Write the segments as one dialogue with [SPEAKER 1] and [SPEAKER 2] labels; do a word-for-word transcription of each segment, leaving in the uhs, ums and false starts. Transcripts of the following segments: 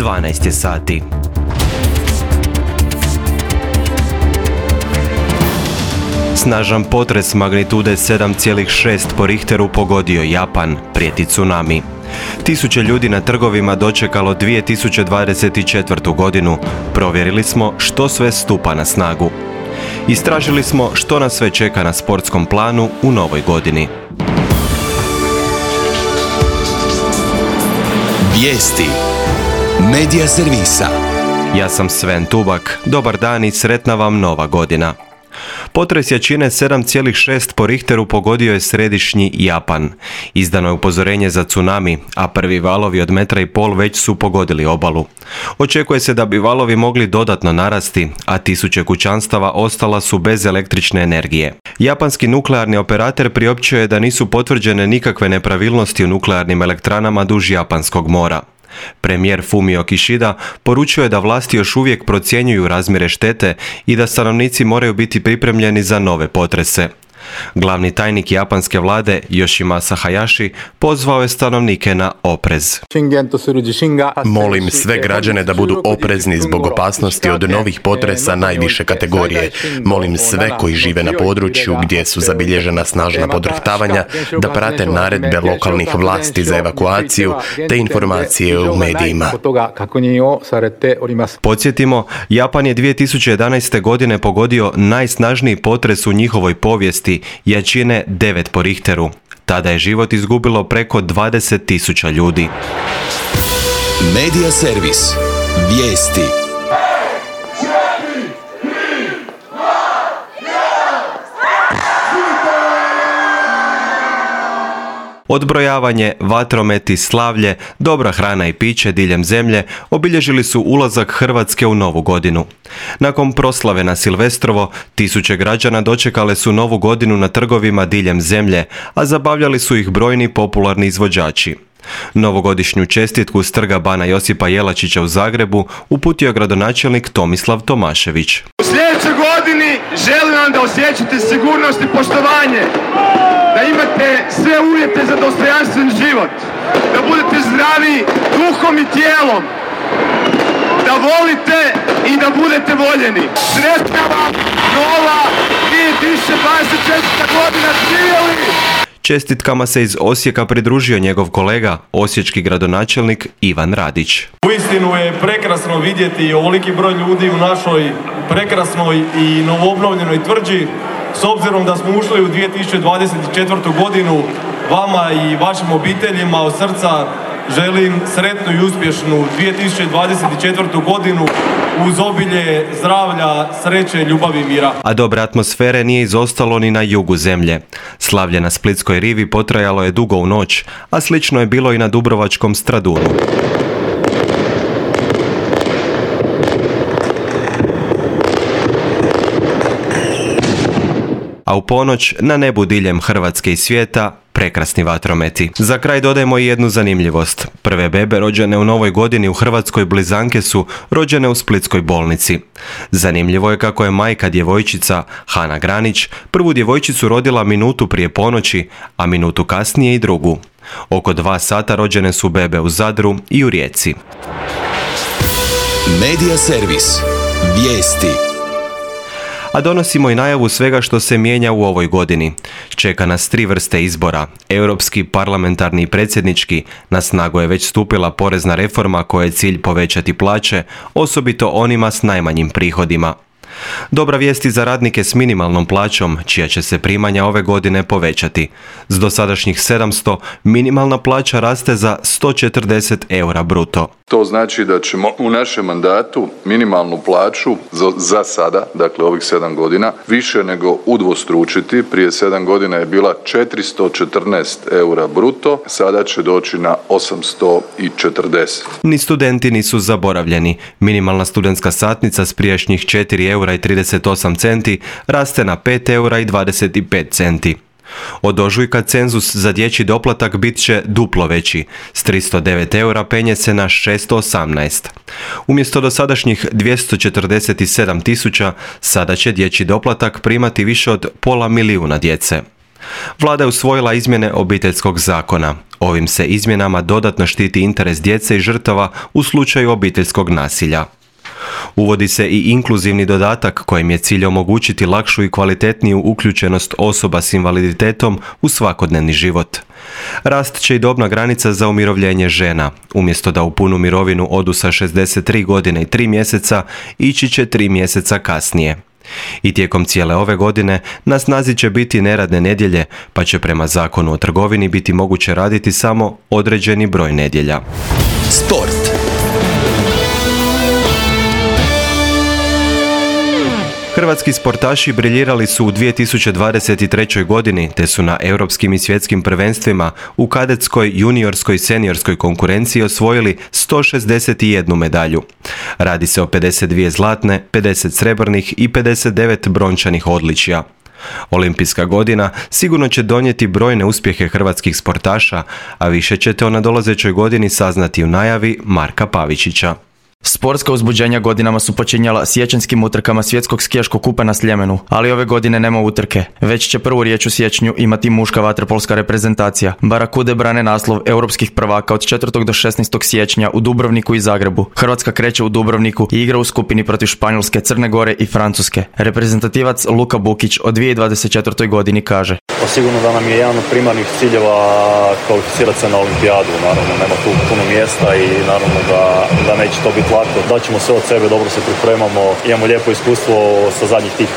[SPEAKER 1] dvanaest je sati. Snažan potres magnitude sedam zarez šest po Richteru pogodio Japan, prijeti tsunami. Tisuće ljudi na trgovima dočekalo dvije tisuće dvadeset četvrtu. godinu. Provjerili smo što sve stupa na snagu. Istražili smo što nas sve čeka na sportskom planu u novoj godini.
[SPEAKER 2] Vijesti Medija servisa.
[SPEAKER 1] Ja sam Sven Tubak. Dobar dan i sretna vam nova godina. Potres jačine sedam zarez šest po Richteru pogodio je središnji Japan. Izdano je upozorenje za tsunami, a prvi valovi od metra i pol već su pogodili obalu. Očekuje se da bi valovi mogli dodatno narasti, a tisuće kućanstava ostala su bez električne energije. Japanski nuklearni operator priopćio je da nisu potvrđene nikakve nepravilnosti u nuklearnim elektranama duž Japanskog mora. Premijer Fumio Kishida poručio je da vlasti još uvijek procjenjuju razmjere štete i da stanovnici moraju biti pripremljeni za nove potrese. Glavni tajnik japanske vlade Yoshimasa Hayashi pozvao je stanovnike na oprez.
[SPEAKER 3] Molim sve građane da budu oprezni zbog opasnosti od novih potresa najviše kategorije. Molim sve koji žive na području gdje su zabilježena snažna podrhtavanja da prate naredbe lokalnih vlasti za evakuaciju te informacije u medijima.
[SPEAKER 1] Podsjetimo, Japan je dvije tisuće jedanaeste. godine pogodio najsnažniji potres u njihovoj povijesti, jačine devet po Richteru. Tada je život izgubilo preko dvadeset tisuća ljudi.
[SPEAKER 2] Medija servis. Vijesti.
[SPEAKER 1] Odbrojavanje, vatrometi, slavlje, dobra hrana i piće diljem zemlje obilježili su ulazak Hrvatske u novu godinu. Nakon proslave na Silvestrovo, tisuće građana dočekale su novu godinu na trgovima diljem zemlje, a zabavljali su ih brojni popularni izvođači. Novogodišnju čestitku s trga Bana Josipa Jelačića u Zagrebu uputio je gradonačelnik Tomislav Tomašević.
[SPEAKER 4] U sljedećoj godini želim vam da osjećate sigurnost i poštovanje, da imate sve uvjete za dostojanstven život, da budete zdravi duhom i tijelom, da volite i da budete voljeni. Sretna vam nova dvije tisuće dvadeset četvrta. godina, živjeli!
[SPEAKER 1] Čestitkama se iz Osijeka pridružio njegov kolega, osječki gradonačelnik Ivan Radić.
[SPEAKER 5] Uistinu je prekrasno vidjeti ovoliki broj ljudi u našoj prekrasnoj i novoobnovljenoj tvrđi. S obzirom da smo ušli u dvije tisuće dvadeset četvrtu. godinu, vama i vašim obiteljima od srca želim sretnu i uspješnu dvije tisuće dvadeset četvrtu. godinu uz obilje zdravlja, sreće, ljubavi i mira.
[SPEAKER 1] A dobre atmosfere nije izostalo ni na jugu zemlje. Slavlje na Splitskoj rivi potrajalo je dugo u noć, a slično je bilo i na Dubrovačkom Stradunu. A u ponoć na nebu diljem Hrvatske i svijeta prekrasni vatrometi. Za kraj dodajemo i jednu zanimljivost. Prve bebe rođene u novoj godini u Hrvatskoj blizanke su rođene u Splitskoj bolnici. Zanimljivo je kako je majka djevojčica Hana Granić prvu djevojčicu rodila minutu prije ponoći, a minutu kasnije i drugu. Oko dva sata rođene su bebe u Zadru i u Rijeci.
[SPEAKER 2] Medija servis. Vijesti.
[SPEAKER 1] A donosimo i najavu svega što se mijenja u ovoj godini. Čeka nas tri vrste izbora. Europski, parlamentarni i predsjednički. Na snagu je već stupila porezna reforma koja je cilj povećati plaće, osobito onima s najmanjim prihodima. Dobra vijest i za radnike s minimalnom plaćom, čija će se primanja ove godine povećati. S dosadašnjih sedamsto, minimalna plaća raste za sto četrdeset eura bruto.
[SPEAKER 6] To znači da ćemo u našem mandatu minimalnu plaću za, za sada, dakle ovih sedam godina, više nego udvostručiti. Prije sedam godina je bila četiristo četrnaest eura bruto, sada će doći na osamsto četrdeset.
[SPEAKER 1] Ni studenti nisu zaboravljeni. Minimalna studentska satnica s prijašnjih četiri eura i trideset osam centi raste na pet eura i dvadeset pet centi. Od ožujka cenzus za dječji doplatak bit će duplo veći. S tristo devet eura penje se na šesto osamnaest. Umjesto dosadašnjih dvjesto četrdeset sedam tisuća, sada će dječji doplatak primati više od pola milijuna djece. Vlada je usvojila izmjene Obiteljskog zakona. Ovim se izmjenama dodatno štiti interes djece i žrtava u slučaju obiteljskog nasilja. Uvodi se i inkluzivni dodatak kojim je cilj omogućiti lakšu i kvalitetniju uključenost osoba s invaliditetom u svakodnevni život. Rast će i dobna granica za umirovljenje žena. Umjesto da u punu mirovinu odu sa šezdeset tri godine i tri mjeseca, ići će tri mjeseca kasnije. I tijekom cijele ove godine na snazi će biti neradne nedjelje, pa će prema Zakonu o trgovini biti moguće raditi samo određeni broj nedjelja.
[SPEAKER 2] Sport.
[SPEAKER 1] Hrvatski sportaši briljirali su u dvije tisuće dvadeset trećoj. godini te su na europskim i svjetskim prvenstvima u kadetskoj, juniorskoj i seniorskoj konkurenciji osvojili sto šezdeset jednu medalju. Radi se o pedeset dvije zlatne, pedeset srebrnih i pedeset devet brončanih odličja. Olimpijska godina sigurno će donijeti brojne uspjehe hrvatskih sportaša, a više ćete o nadolazećoj godini saznati u najavi Marka Pavičića.
[SPEAKER 7] Sportska uzbuđenja godinama su počinjala siječanjskim utrkama svjetskog skijaškog kupa na Sljemenu, ali ove godine nema utrke. Već će prvu riječ u siječnju imati muška vaterpolska reprezentacija. Barakude brane naslov europskih prvaka od četvrtog do šesnaestog siječnja u Dubrovniku i Zagrebu. Hrvatska kreće u Dubrovniku i igra u skupini protiv Španjolske, Crne Gore i Francuske. Reprezentativac Luka Bukić o dvije tisuće dvadeset četvrtoj. godini kaže:
[SPEAKER 8] Sigurno da nam je jedan od primarnih ciljeva kvalificirati se na olimpijadu. Naravno, nema tu puno mjesta i naravno da, da neće to biti lako. Daćemo sve od sebe, dobro se pripremamo. Imamo lijepo iskustvo sa zadnjih tih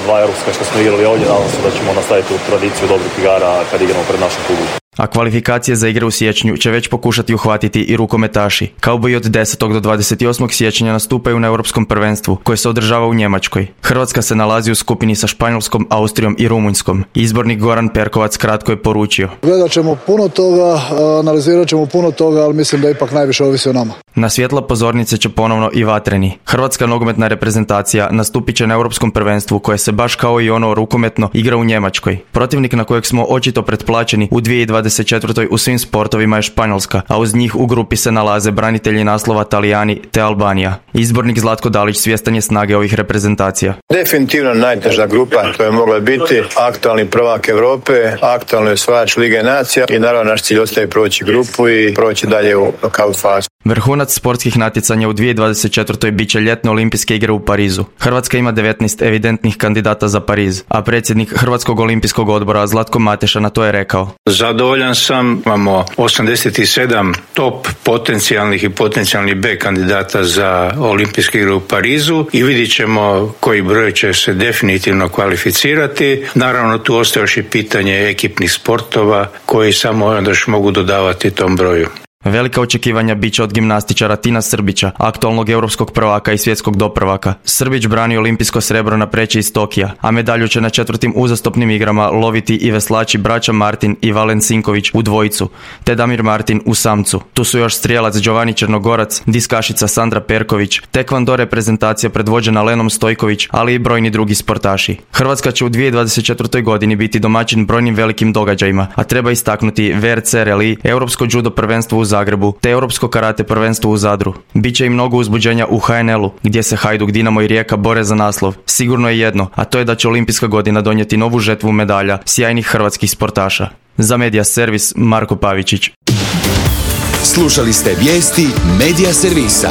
[SPEAKER 8] dva europska što smo igrali ovdje. Nadam se da ćemo nastaviti tu tradiciju dobrih igara kad igramo pred našom publikom.
[SPEAKER 7] A kvalifikacije za igre u siječnju će već pokušati uhvatiti i rukometaši. Kauboji od desetog do dvadeset osmog siječnja nastupaju na europskom prvenstvu koje se održava u Njemačkoj. Hrvatska se nalazi u skupini sa Španjolskom, Austrijom i Rumunjskom. Izbornik Goran Perkovac kratko je poručio:
[SPEAKER 9] Gledat ćemo puno toga, analizirat ćemo puno toga, ali mislim da ipak najviše ovisi o nama.
[SPEAKER 7] Na svjetla pozornice će ponovno i vatreni. Hrvatska nogometna reprezentacija nastupit će na europskom prvenstvu koje se baš kao i ono rukometno igra u Njemačkoj. Protivnik na kojeg smo očito pretplaćeni u dvije tisuće dvadeset četvrtoj. u svim sportovima je Španjolska, a uz njih u grupi se nalaze branitelji naslova Talijani te Albanija. Izbornik Zlatko Dalić svjestan je snage ovih reprezentacija.
[SPEAKER 10] Definitivno najteža grupa, to je mogla biti aktualni prvak Europe, aktualni osvajač Lige nacija i naravno naš cilj ostaje proći grupu i proći dalje u knockout fazu.
[SPEAKER 7] Vrhunac sportskih natjecanja u dvije tisuće dvadeset četvrtoj. bit će ljetne olimpijske igre u Parizu. Hrvatska ima devetnaest evidentnih kandidata za Pariz, a predsjednik Hrvatskog olimpijskog odbora Zlatko Mateša na to je rekao:
[SPEAKER 11] Zadovoljan sam, imamo osamdeset sedam top potencijalnih i potencijalnih B kandidata za olimpijske igre u Parizu i vidjet ćemo koji broj će se definitivno kvalificirati. Naravno tu ostaje još i pitanje ekipnih sportova koji samo onda još mogu dodavati tom broju.
[SPEAKER 7] Velika očekivanja bit će od gimnastičara Tina Srbića, aktualnog europskog prvaka i svjetskog doprvaka. Srbić brani olimpijsko srebro na preći iz Tokija, a medalju će na četvrtim uzastopnim igrama loviti i veslači braća Martin i Valen Sinković u dvojicu, te Damir Martin u samcu. Tu su još strijelac Giovanni Černogorac, diskašica Sandra Perković, tekvando reprezentacija predvođena Lenom Stojković, ali i brojni drugi sportaši. Hrvatska će u dvije tisuće dvadeset četvrtoj. godini biti domaćin brojnim velikim događajima, a treba istaknuti V R C Rally, europsko judo prvenstvo u Zagrebu te europsko karate prvenstvo u Zadru. Biće i mnogo uzbuđenja u H N L-u, gdje se Hajduk, Dinamo i Rijeka bore za naslov. Sigurno je jedno, a to je da će olimpijska godina donijeti novu žetvu medalja sjajnih hrvatskih sportaša. Za Medija Servis, Marko Pavičić.
[SPEAKER 2] Slušali ste vijesti Medija Servisa.